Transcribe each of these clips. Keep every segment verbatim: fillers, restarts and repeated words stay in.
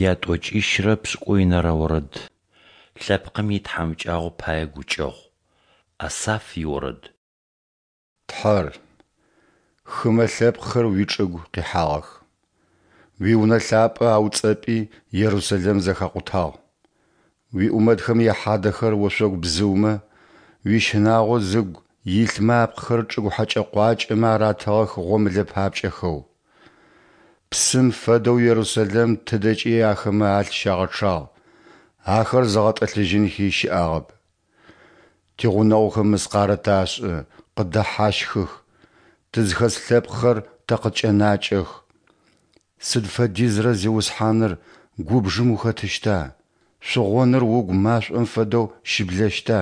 Ятӏокӏищырэ пшӏыкӏуенэрэ орэд. Лъэпкъым итхьамыкӏагъо пае гукӏэгъу. Асаф иорэд. Тхьэр, хымэ лъэпкъхэр уичӏыгу къихьагъэх, уи Унэ лъапӏэ ауцӏэпӏи Ерусэлэм зэхакъутагъ. Уиӏумэтхэм яхьадэхэр ошъогу бзыумэ, уищынагъо зыгу илъмэ апкъыхэр чӏыгу хьэкӏэ-къуакӏэмэ аратыгъэх гъомылэ папкӏэхэу. Псым фэдэу Ерусэлэм тыдэкӏи ахэмэ алъ щагъэчъагъ, ахэр зыгъэтӏылъыжьынхи щыӏагъэп. Тигъунэгъухэм мыскъарэ ташӏы, къыддэхьащхых, тызхэс лъэпкъхэр тэ къыткӏэнакӏэх. Сыд фэдизрэ, Зиусхьаныр, губжым ухэтыщта, шъугъоныр угу машӏом фэдэу щыблэщта?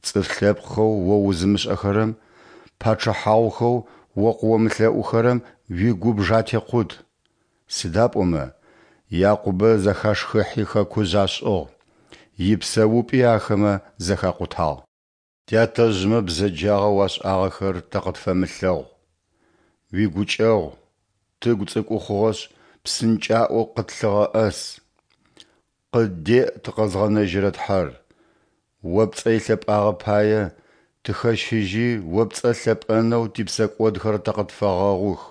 Цӏыф лъэпкъхэу О узымышӏэхэрэм, пачъыхьагъухэу О къыомылъэӏухэрэм уигубж атекъут. Сыда пӏомэ Якъубэ зэхашхыхьи хэкужъ ашӏыгъ, ипсэупӏи ахэмэ зэхакъутагъ. Тятэжъмэ бзэджагъэу ашӏагъэхэр тэ къытфэмылъэгъу, уигукӏэгъу, тыгу цӏыкӏу хъугъэшъ, псынкӏаӏоу къытлъыгъэӏэс. Къыддеӏ тыкъэзгъэнэжьырэ Тхьэр, О пцӏэ илъэпӏагъэ пае, тыхэщыжьи О пцӏэ лъэпӏэнэу типсэкӏодхэр тэ къытфэгъэгъух.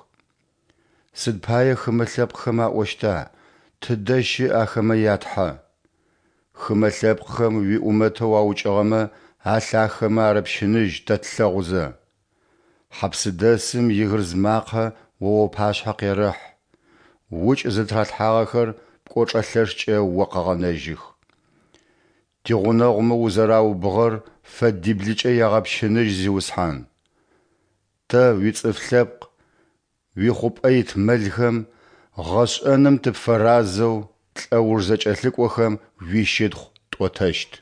Сыд пае хымэ лъэпкъхэм аӏощта: Тыдэ щыӏ ахэмэ я Тхьэ? Хымэ лъэпкъхэм уиӏумэтэу аукӏыгъэмэ алъ ахэмэ арэпщыныжь тэ тлъэгъузэ. Хьапсдэсым игырз макъэ О уапашъхьэ къерэхь, укӏ зытыралъхьагъэхэр пкӏочӏэ лъэшкӏэ О къэгъэнэжьых. Тигъунэгъумэ узэраубыгъэр фэдиблыкӏэ ягъэпщыныжь, Зиусхьан. Тэ, уицӏыф лъэпкъ, уихъупӏэ ит мэлхэм, гъэшӏэным тыпфэразэу лӏэуж зэкӏэлъыкӏохэм уищытхъу тӏотэщт.